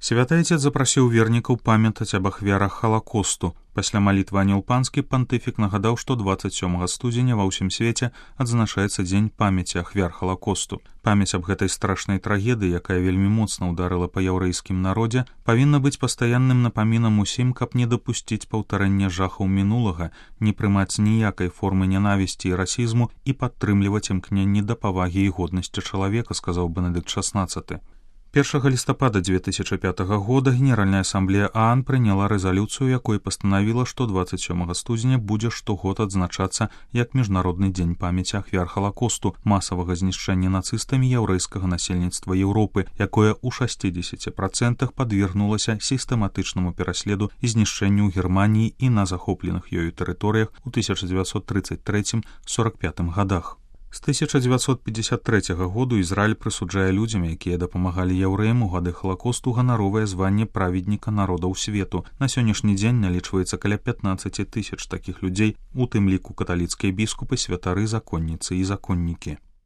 Святы Айцец запрасіў вернікаў памятаць аб ахвярах Халакосту. Пасля малітвы Анёл Панскі пантыфік нагадаў, што 27 студзеня ва ўсім свеце адзначаецца дзень памяці ахвяр Халакосту. Памяць аб гэтай страшнай трагедыі, якая вельмі моцна ўдарыла па яўрэйскім народзе, павінна быць пастаянным напамінам усім, каб не дапусціць паўтарэння жахаў мінулага, не прымаць ніякай формы нянавісці і расізму і падтрымліваць імкненні да павагі і годнасці чалавека, сказаў Бенедыкт XVI. 1 лістапада 2005 года Генеральная асамблея ААН прыняла рэзалюцыю, якой пастанавіла, што 27 студзеня будзе штогод адзначацца як міжнародны дзень памяці ахвяр Халакосту, масавага знішчэння нацыстамі яўрэйскага насельніцтва Еўропы, якое ў 60% падвергнулася сістэматычнаму пераследу і знішчэнню ў Германіі і на захопленых ёю тэрыторыях у 1933-45 годах. З 1953 году Ізраіль прысуджае людзям, якія дапамагалі яўрэям у гады Халакосту, ганаровае званне праведніка народаў свету. На сённяшні дзень налічваецца каля 15 000 такіх людзей, у тым ліку каталіцкія біскупы, святары, законніцы і законнікі.